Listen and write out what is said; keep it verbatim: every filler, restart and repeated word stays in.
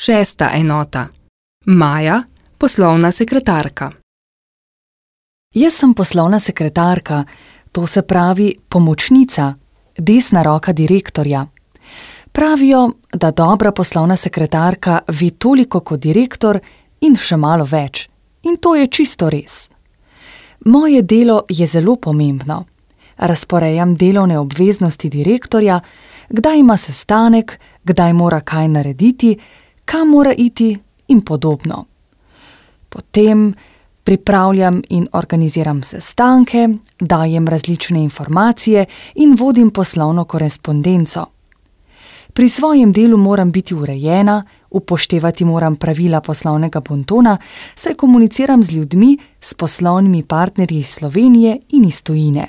Šesta enota. Maja, poslovna sekretarka. Jaz sem poslovna sekretarka, to se pravi pomočnica, desna roka direktorja. Pravijo, da dobra poslovna sekretarka ve toliko kot direktor in še malo več. In to je čisto res. Moje delo je zelo pomembno. Razporejam delovne obveznosti direktorja, kdaj ima sestanek, kdaj mora kaj narediti, kam mora iti in podobno. Potem pripravljam in organiziram sestanke, dajem različne informacije in vodim poslovno korespondenco. Pri svojem delu moram biti urejena, upoštevati moram pravila poslovnega bontona, saj komuniciram z ljudmi, s poslovnimi partnerji iz Slovenije in iz tujine.